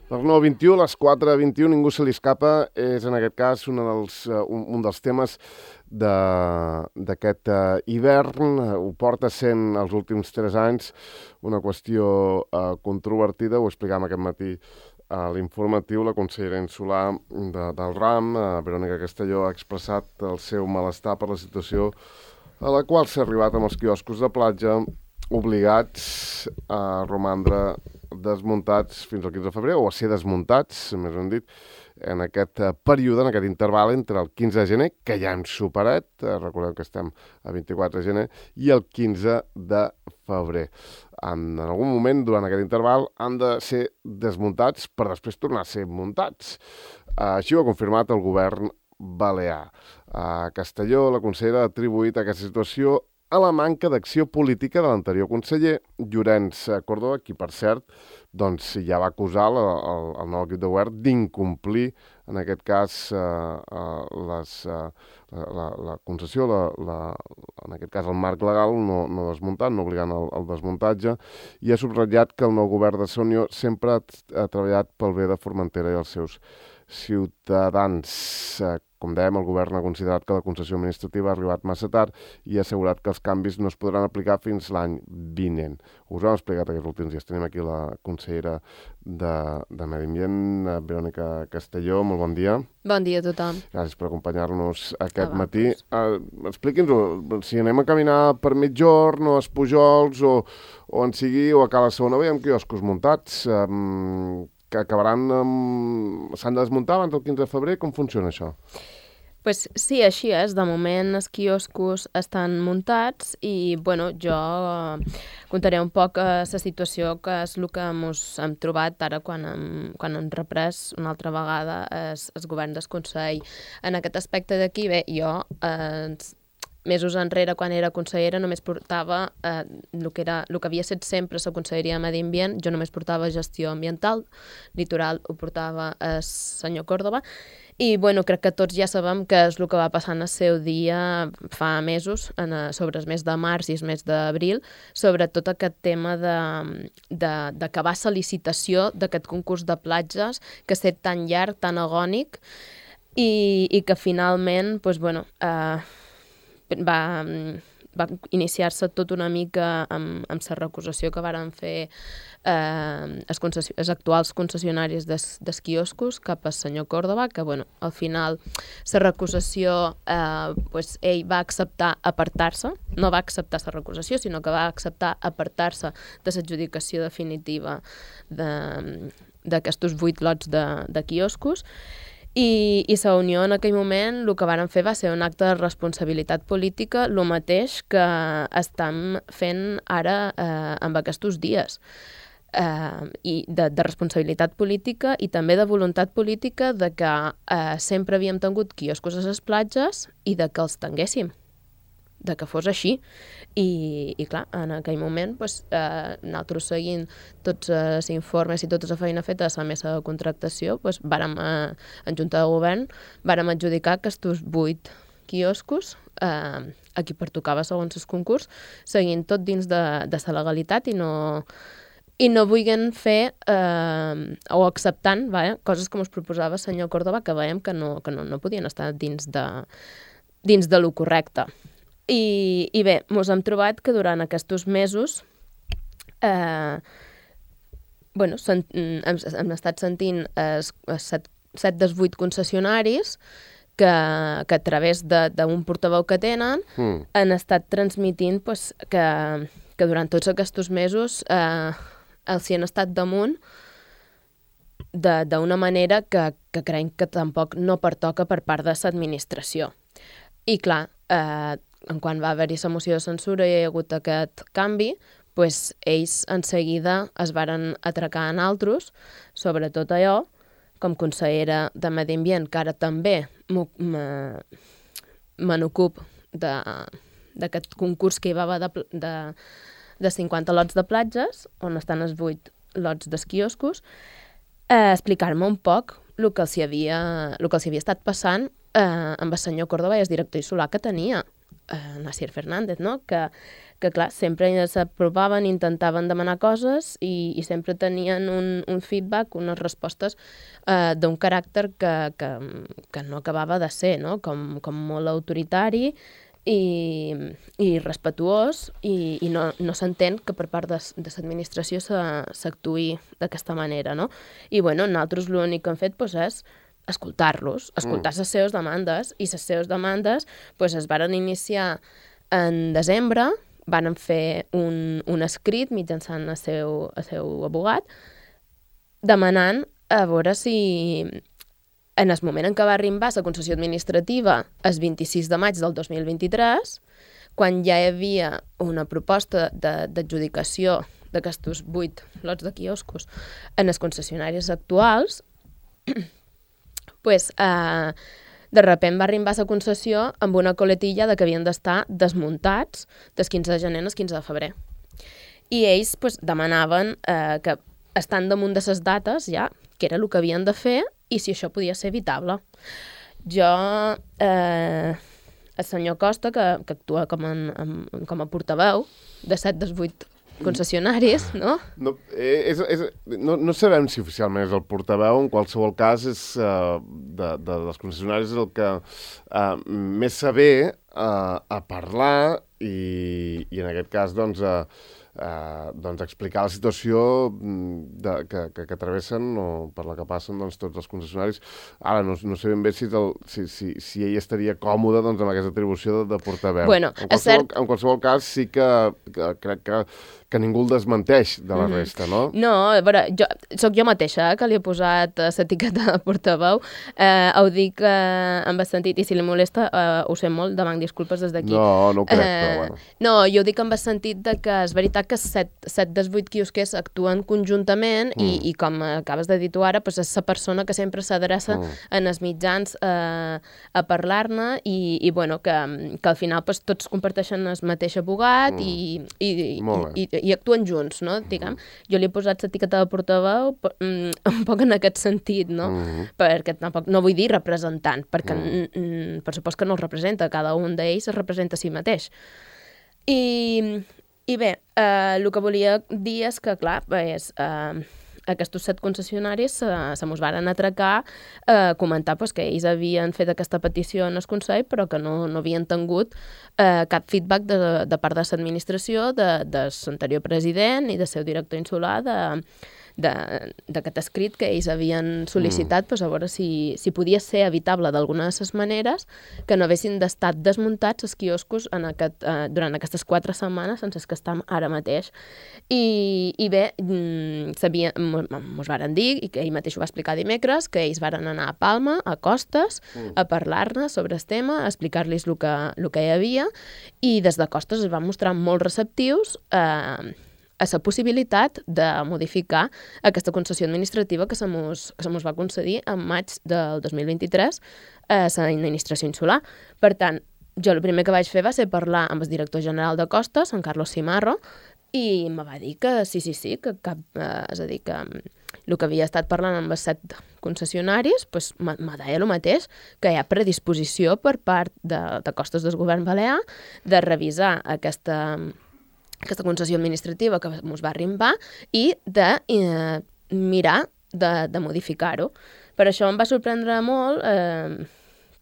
Les 9:21, les 4:21, ningú se li escapa, és en aquest cas un dels temes d'aquest hivern. Ho porta sent els últims 3 anys una qüestió controvertida. Ho explicàvem aquest matí a l'informatiu. La consellera insular del RAM, Verònica Castelló, ha expressat el seu malestar per la situació a la qual s'ha arribat amb els quioscos de platja obligats a romandre desmuntats fins al 15 de febrer, o a ser desmuntats, més ben dit, en aquest període, en aquest interval entre el 15 de gener, que ja hem superat, recordem que estem a 24 de gener, i el 15 de febrer. En algun moment, durant aquest interval, han de ser desmuntats per després tornar a ser muntats. Així ho ha confirmat el govern balear. A Castelló, la consellera ha atribuït aquesta situació a la manca d'acció política de l'anterior conseller, Llorenç Córdoba, qui, per cert, doncs, ja va acusar el nou equip de govern d'incomplir, en aquest cas, la concessió, en aquest cas el marc legal, no desmuntant, no obligant al desmuntatge, i ha subratllat que el nou govern de Unió sempre ha treballat pel bé de Formentera i els seus ciutadans. Com dèiem, el govern ha considerat que la concessió administrativa ha arribat massa tard i ha assegurat que els canvis no es podran aplicar fins l'any vinent. Us ho hem explicat aquests últims dies. Tenim aquí la consellera de Medi Ambient, Verònica Castelló. Molt bon dia. Bon dia a tothom. Gràcies per acompanyar-nos aquest matí. Expliqui'ns si anem a caminar per Migjorn o a Espujols o en sigui o a Cala Segona. Veiem quioscos muntats que s'han de desmuntar abans del 15 de febrer. Com funciona això? Pues sí, així és. De moment els quioscos estan muntats i, bueno, jo contaré un poc la situació que és el que hem trobat ara quan hem reprès una altra vegada el govern del Consell. En aquest aspecte d'aquí, bé, jo mesos enrere, quan era consellera, només portava el que havia estat sempre la Conselleria de Medi Ambient. Jo només portava gestió ambiental, litoral ho portava el senyor Córdoba, i bueno, crec que tots ja sabem què és el que va passar en el seu dia fa mesos, sobre el mes de març i el mes d'abril, sobre tot aquest tema d'acabar la licitació d'aquest concurs de platges que ha estat tan llarg, tan agònic, i que finalment, doncs, bueno, va iniciar-se tot una mica amb la recusació que varen fer els actuals concessionaris dels quioscos cap al senyor Córdoba, que, bueno, al final la recusació, ell va acceptar apartar-se, no va acceptar la recusació, sinó que va acceptar apartar-se de l'adjudicació definitiva d'aquests 8 lots de quioscos. I la Unió en aquell moment el que varen fer va ser un acte de responsabilitat política, el mateix que estan fent ara amb aquests dies. I de responsabilitat política i també de voluntat política de que sempre havíem tingut quioscos a les platges i de que els tinguéssim, de que fos així. I clar, en aquell moment nosaltres, seguint tots els informes i tota la feina feta a la mesa de contractació, en Junta de Govern vàrem adjudicar aquests 8 quioscos a qui pertocava segons el concurs, seguint tot dins de la legalitat i no vulguin fer o acceptant coses com es proposava el senyor Córdoba, que veiem que no podien estar dins de lo correcte. I bé, ens hem trobat que durant aquests mesos hem estat sentint 7 dels 8 concessionaris que a través d'un portaveu que tenen han estat transmitint que durant tots aquests mesos els hi han estat damunt d'una manera que creiem que tampoc no pertoca per part de l'administració. I clar, quan va haver-hi la moció de censura i hi ha hagut aquest canvi, ells en seguida es varen atracar en altres, sobretot allò, com consellera de Medi Ambient, que ara també me n'ocup d'aquest concurs que hi va haver de 50 lots de platges, on estan els 8 lots dels quioscos, explicar-me un poc el que els hi havia estat passant amb el senyor Córdoba i el director insular que tenia. Nasir Fernández, no? Que clar, sempre s'aprovaven, intentaven demanar coses i sempre tenien un feedback, unes respostes d'un caràcter que no acabava de ser, no? Com molt autoritari i respetuós i no s'entén que per part de l'administració s'actuï d'aquesta manera, no? I bueno, nosaltres l'únic que hem fet és escoltar-los, escoltar les seves demandes, i les seves demandes es varen iniciar en desembre, van fer un escrit mitjançant el seu abogat, demanant a veure si en el moment en què va arribar la concessió administrativa, el 26 de maig del 2023, quan ja hi havia una proposta d'adjudicació d'aquests 8 lots de quioscos en els concessionaris actuals, de sobte va arribar la concessió amb una coletilla que havien d'estar desmuntats del 15 de gener al 15 de febrer. I ells demanaven que, estant damunt de les dates, ja, que era el que havien de fer i si això podia ser evitable. Jo, el senyor Costa, que actua com a portaveu de 7 dels 8 concessionaris, no? No sabem si oficialment és el portaveu, en qualsevol cas dels concessionaris és el que més saber a parlar i en aquest cas explicar la situació que travessen o per la que passen tots els concessionaris. Ara, no sé ben bé si ell estaria còmode amb aquesta atribució de portaveu. Bueno, en qualsevol cas, sí que crec que ningú el desmenteix de la resta, no? No, a veure, soc jo mateixa que li he posat l'etiqueta de portaveu. Ho dic en el sentit, i si li molesta, ho sé molt, demanc disculpes des d'aquí. No ho crec, però bueno. No, jo ho dic en el sentit que és veritat que 7 dels 8 quiosquers actuen conjuntament i com acabes de dir tu ara, és la persona que sempre s'adreça en els mitjans a parlar-ne i bueno, que al final tots comparteixen el mateix abogat i actuen junts, no? Diguem. Jo li he posat l'etiqueta de portaveu un poc en aquest sentit, no? Perquè tampoc, no vull dir representant, perquè per supost que no els representa, cada un d'ells es representa a si mateix. I bé, el que volia dir és que, clar, aquests 7 concessionaris se mos varen atracar a comentar que ells havien fet aquesta petició en el Consell però que no havien tingut cap feedback de part de l'administració, de l'anterior president i del seu director insular d'aquest escrit que ells havien sol·licitat a veure si podia ser evitable d'alguna de les maneres que no haguessin d'estar desmuntats els quioscos durant aquestes 4 setmanes sense que estem ara mateix. I bé, mos varen dir, i que ell mateix ho va explicar dimecres, que ells varen anar a Palma, a Costes, a parlar-ne sobre el tema, a explicar-los el que hi havia, i des de Costes es van mostrar molt receptius a la possibilitat de modificar aquesta concessió administrativa que se mos va concedir en maig del 2023 a l'administració insular. Per tant, jo el primer que vaig fer va ser parlar amb el director general de Costes, en Carlos Cimarro, i me va dir que sí, que és a dir, que el que havia estat parlant amb els 7 concessionaris, me deia el mateix, que hi ha predisposició per part de Costes del govern balear de revisar aquesta concessió administrativa que ens va arribar i de mirar de modificar-ho. Per això em va sorprendre molt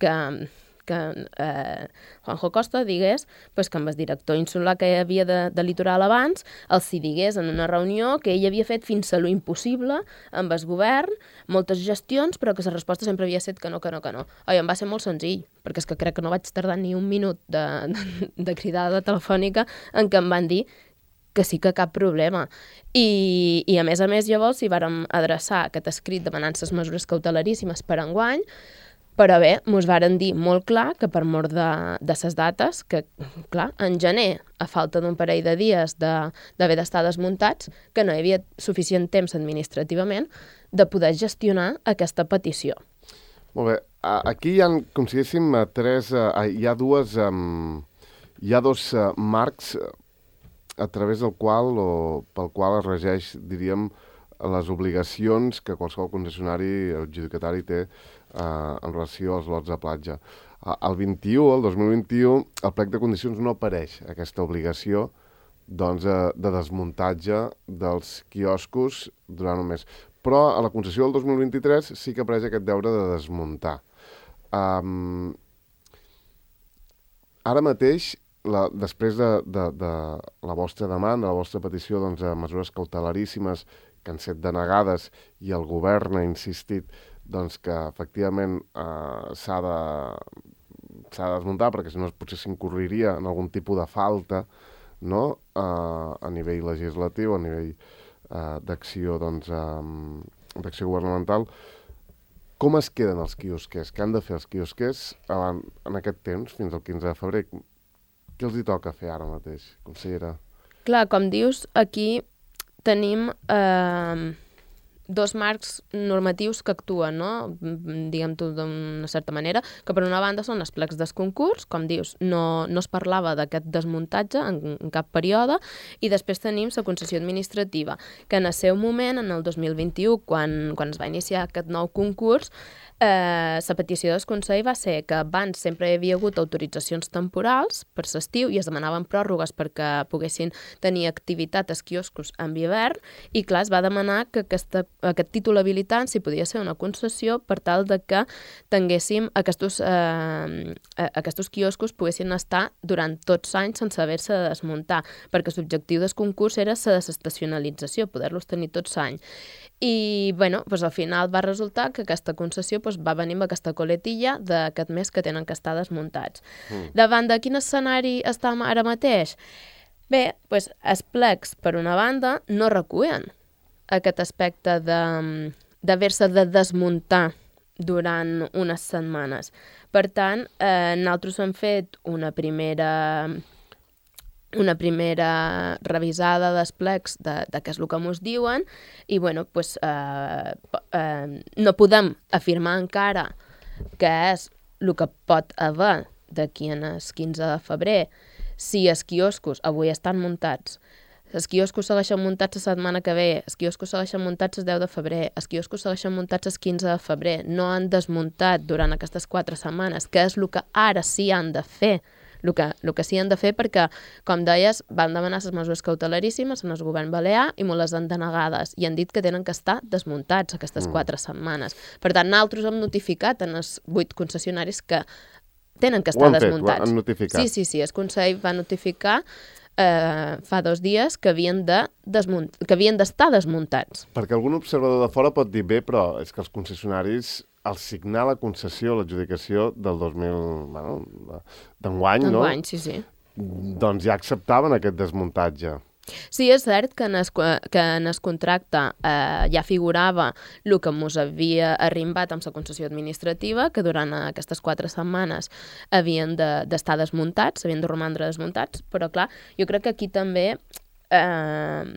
que Juanjo Costa digués que amb el director insular que hi havia de Litoral abans els digués en una reunió que ell havia fet fins a lo impossible amb el govern, moltes gestions, però que la resposta sempre havia estat que no. Oi, em va ser molt senzill, perquè és que crec que no vaig tardar ni un minut de cridada telefònica en què em van dir que sí que cap problema. I a més llavors hi vàrem adreçar aquest escrit demanant les mesures cautelaríssimes per enguany, però bé, mos varen dir molt clar que per mort de les dates, que clar, en gener, a falta d'un parell de dies d'haver d'estar desmuntats, que no hi havia suficient temps administrativament de poder gestionar aquesta petició. Molt bé, aquí hi ha, com si diguéssim, hi ha dos marcs a través pel qual es regeix, diríem, les obligacions que qualsevol concessionari adjudicatari té en relació als lots de platja. El 2021, el plec de condicions no apareix aquesta obligació doncs, de desmuntatge dels quioscos durant un mes. Però a la concessió del 2023 sí que apareix aquest deure de desmuntar. Ara mateix, després de la vostra demanda, la vostra petició de mesures cautelaríssimes que han estat denegades i el govern ha insistit que efectivament s'ha de desmuntar perquè si no potser s'incorreria en algun tipus de falta, no? A nivell legislatiu, a nivell d'acció governamental. Com es queden els quiosquers? Què han de fer els quiosquers en aquest temps, fins al 15 de febrer? Què els hi toca fer ara mateix, consellera? Clar, com dius, aquí tenim dos marcs normatius que actuen, no? Diguem-ho d'una certa manera, que per una banda són els plecs del concurs, com dius, no es parlava d'aquest desmuntatge en cap període, i després tenim la concessió administrativa, que en el seu moment, en el 2021, quan es va iniciar aquest nou concurs, la petició del Consell va ser que abans sempre hi havia hagut autoritzacions temporals per l'estiu i es demanaven pròrrogues perquè poguessin tenir activitat als quioscos en hivern i clar, es va demanar que aquest títol habilitant si podia ser una concessió per tal de que tinguéssim aquests quioscos poguessin estar durant tots anys sense haver-se de desmuntar, perquè l'objectiu del concurs era la desestacionalització, poder-los tenir tots anys. I bueno, al final va resultar que aquesta concessió va venir amb aquesta coletilla d'aquest mes que tenen que estar desmuntats. Davant de quin escenari estem ara mateix? Bé, els plecs, per una banda, no recullen aquest aspecte d'haver-se de desmuntar durant unes setmanes. Per tant, nosaltres hem fet una primera revisada dels plecs de què és el que ens diuen i bueno, no podem afirmar encara què és el que pot haver d'aquí en el 15 de febrer si els quioscos avui estan muntats. Els quioscos segueixen muntats la setmana que ve, els quioscos segueixen muntats el 10 de febrer, els quioscos segueixen muntats el 15 de febrer, no han desmuntat durant aquestes 4 setmanes, que és el que ara sí han de fer. El que sí han de fer perquè, com deies, van demanar les mesures cautelaríssimes en el govern balear i molt les han denegades i han dit que tenen que estar desmuntats aquestes 4 setmanes. Per tant, nosaltres hem notificat en els 8 concessionaris que tenen que estar desmuntats. Ho han notificat. Sí, el Consell va notificar fa 2 dies que havien d'estar desmuntats. Perquè algun observador de fora pot dir bé, però és que els concessionaris al signar la concessió, l'adjudicació del 2000, d'enguany, no? D'enguany, sí. Doncs ja acceptaven aquest desmuntatge. Sí, és cert que en el contracte ja figurava el que ens havia arrimbat amb la concessió administrativa, que durant aquestes 4 setmanes havien d'estar desmuntats, havien de romandre desmuntats, però clar, jo crec que aquí també en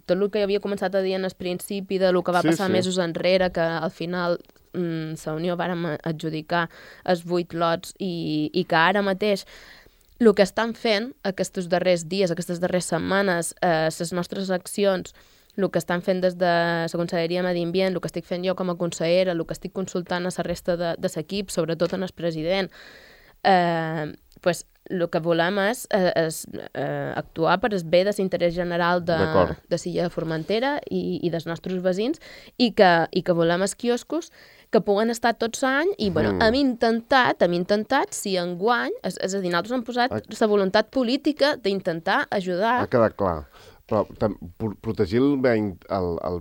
tot el que havia començat a dir en el principi de lo que va passar mesos enrere, que al final la Unió vàrem adjudicar els 8 lots i que ara mateix el que estan fent aquests darrers dies, aquestes darreres setmanes, les nostres accions, el que estan fent des de la Conselleria de Medi Ambient, el que estic fent jo com a consellera, el que estic consultant a la resta de l'equip, sobretot en el president, el que volem és actuar per el bé de l'interès general de Silla de Formentera i dels nostres veïns i que volem els quioscos que puguen estar tots l'any i hem intentat, si enguany, és a dir, nosaltres hem posat la voluntat política d'intentar ajudar. Ha quedat clar. Però protegir el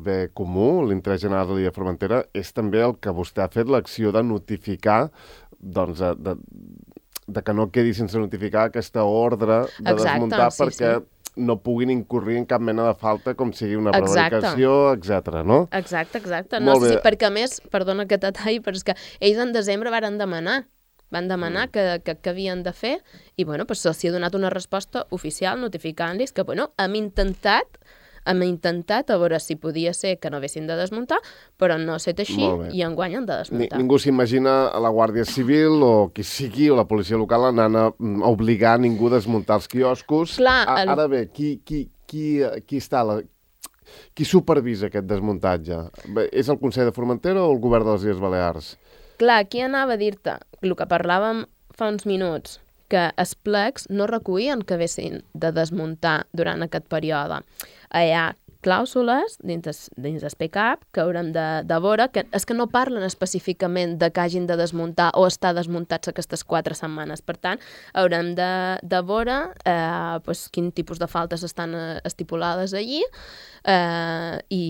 bé comú, l'interès general de l'illa de Formentera, és també el que vostè ha fet, l'acció de notificar, doncs, de que no quedi sense notificar aquesta ordre de desmuntar perquè no puguin incorrir en cap mena de falta, com sigui una prevaricació, etc. no? Exacte. No, sí, perquè a més, perdona aquest detall, però és que ells en desembre van demanar que havien de fer i, se'ls ha donat una resposta oficial notificant-los que, hem intentat a veure si podia ser que no haguessin de desmuntar, però no ha estat així i enguany han de desmuntar. Ningú s'imagina a la Guàrdia Civil o qui sigui, o la policia local, anant a obligar ningú a desmuntar els quioscos. Clar, ara bé, qui està Qui supervisa aquest desmuntatge? Bé, és el Consell de Formentera o el Govern de les Illes Balears? Clar, aquí anava a dir-te el que parlàvem fa uns minuts, que els plecs no recuïen que haguessin de desmuntar durant aquest període. Hi ha clàusules dins el PCAP que haurem de veure, que és que no parlen específicament de que hagin de desmuntar o estar desmuntats aquestes 4 setmanes. Per tant, haurem de veure quin tipus de faltes estan estipulades allí i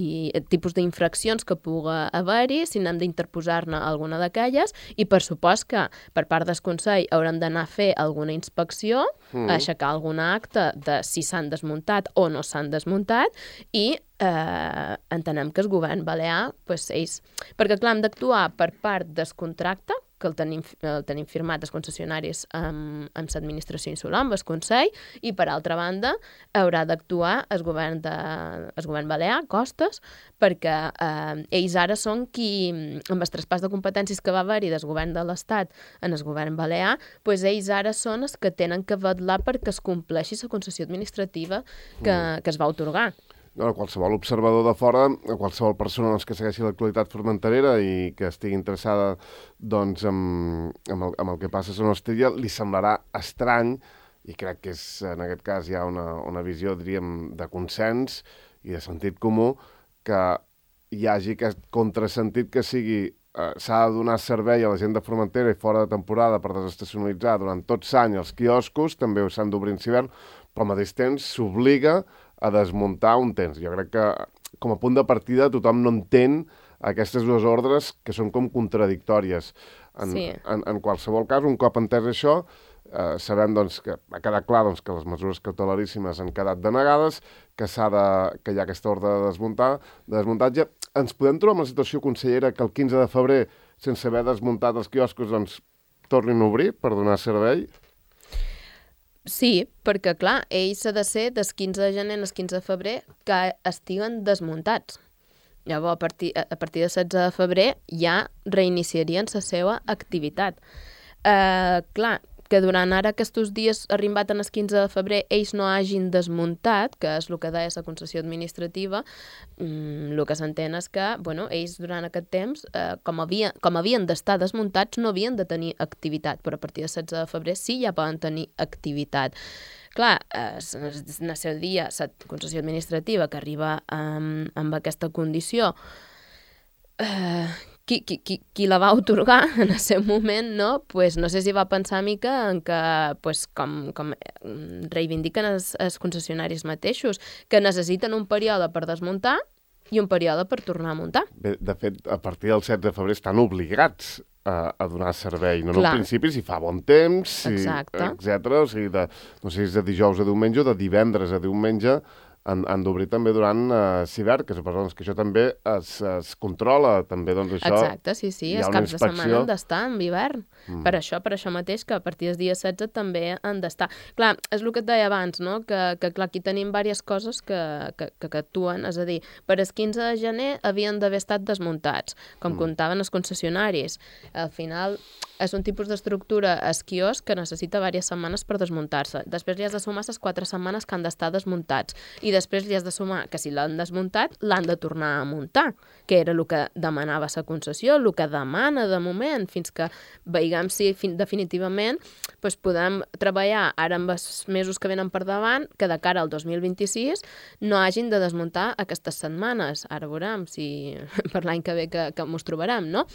tipus d'infraccions que pugui haver-hi, si n'hem d'interposar-ne alguna d'aquelles, i per supost que per part del Consell haurem d'anar a fer alguna inspecció, a aixecar alguna acta de si s'han desmuntat o no s'han desmuntat, i entenem que el govern balear, ells... Perquè, clar, hem d'actuar per part del contracte, que el tenim firmat els concessionaris amb l'administració insular, amb el Consell, i per altra banda haurà d'actuar el govern balear, Costes, perquè ells ara són qui, amb el traspàs de competències que va haver-hi del govern de l'Estat en el govern balear, ells ara són els que tenen que vetllar perquè es compleixi la concessió administrativa que es va atorgar. Qualsevol observador de fora, qualsevol persona que segueixi l'actualitat formenterera i que estigui interessada amb el que passa a Son Ostella, li semblarà estrany, i crec que en aquest cas hi ha una visió, diríem, de consens i de sentit comú, que hi hagi aquest contrasentit que sigui s'ha de donar servei a la gent de Formentera i fora de temporada per desestacionalitzar durant tot l'any els quioscos, també s'han d'obrir en hivern, però al mateix temps s'obliga a desmuntar un temps. Jo crec que, com a punt de partida, tothom no entén aquestes dues ordres que són com contradictòries. En qualsevol cas, un cop entès això, sabem que ha quedat clar que les mesures cautelaríssimes han quedat denegades, que hi ha aquesta ordre de desmuntatge. Ens podem trobar amb la situació, consellera, que el 15 de febrer, sense haver desmuntat els quioscos, tornin a obrir per donar servei? Sí, perquè, clar, ells ha de ser des 15 de gener al 15 de febrer que estiguen desmuntats. Llavors, a partir de 16 de febrer ja reiniciarien la seva activitat. Clar, que durant ara aquests dies arribat en el 15 de febrer ells no hagin desmuntat, que és el que deia la concessió administrativa, el que s'entén és que ells durant aquest temps, com havien d'estar desmuntats, no havien de tenir activitat, però a partir del 16 de febrer sí ja poden tenir activitat. Clar, en el seu dia, la concessió administrativa que arriba amb aquesta condició, qui la va atorgar en el seu moment, no sé si va pensar mica en que, com reivindiquen els concessionaris mateixos, que necessiten un període per desmuntar i un període per tornar a muntar. Bé, de fet, a partir del 7 de febrer estan obligats a donar servei. No en principi, si fa bon temps, etcètera. O sigui, no sé si és de dijous a diumenge o de divendres a diumenge, han d'obrir també durant l'hivern, que suposo que això també es controla, també això... Exacte, sí, els caps de setmana han d'estar en hivern. Per això mateix, que a partir del dia 16 també han d'estar. Clar, és el que et deia abans, no? Que clar, aquí tenim diverses coses que actuen, és a dir, per el 15 de gener havien d'haver estat desmuntats, com comptaven els concessionaris. Al final, és un tipus d'estructura esquiós que necessita diverses setmanes per desmuntar-se. Després li has de sumar les 4 setmanes que han d'estar desmuntats. I després li has de sumar que si l'han desmuntat, l'han de tornar a muntar, que era el que demanava la concessió, el que demana de moment, fins que veiem si definitivament podem treballar ara amb els mesos que venen per davant, que de cara al 2026 no hagin de desmuntar aquestes setmanes. Ara veurem si per l'any que ve que mos trobarem, no?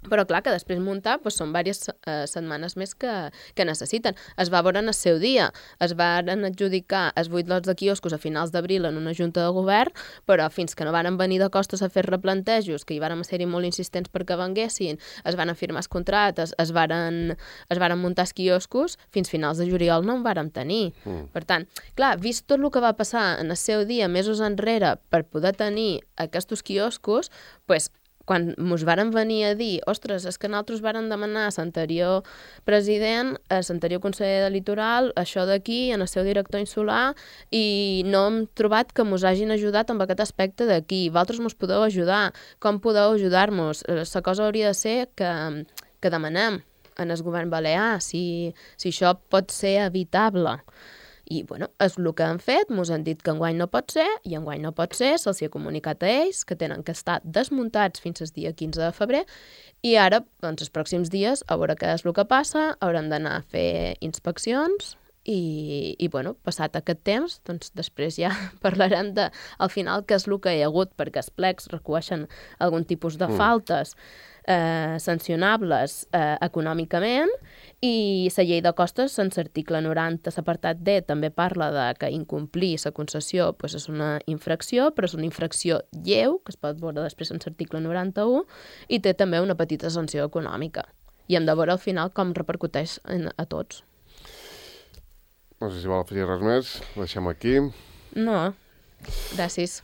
Però clar, que després muntar són diverses setmanes més que necessiten. Es va veure en el seu dia, es van adjudicar els 8 lots de quioscos a finals d'abril en una junta de govern, però fins que no van venir de Costes a fer replantejos, que hi van ser-hi molt insistents perquè venguessin, es van firmar els contractes, es van muntar els quioscos, fins finals de juliol no en vàrem tenir. Per tant, clar, vist tot el que va passar en el seu dia, mesos enrere, per poder tenir aquests quioscos, quan ens varen venir a dir, ostres, és que nosaltres varen demanar a l'anterior president, a l'anterior conseller de Litoral, això d'aquí, en el seu director insular, i no hem trobat que ens hagin ajudat amb aquest aspecte d'aquí. Vosaltres ens podeu ajudar. Com podeu ajudar-nos? La cosa hauria de ser que demanem en el govern balear si això pot ser evitable. I, bueno, és el que han fet, mos han dit que enguany no pot ser, i enguany no pot ser, se'ls ha comunicat a ells que tenen que estar desmuntats fins al dia 15 de febrer, i ara, doncs, els pròxims dies, a veure què és el que passa, hauran d'anar a fer inspeccions, i bueno, passat aquest temps, doncs després ja parlarem de, al final, què és el que hi ha hagut, perquè els plecs recueixen algun tipus de faltes sancionables econòmicament, i la llei de costes, en l'article 90, l'apartat D, també parla de que incomplir la concessió pues, és una infracció, però és una infracció lleu, que es pot veure després en l'article 91, i té també una petita sanció econòmica. I hem de veure al final com repercuteix a tots. No sé si vol afegir res més, ho deixem aquí. No, gràcies.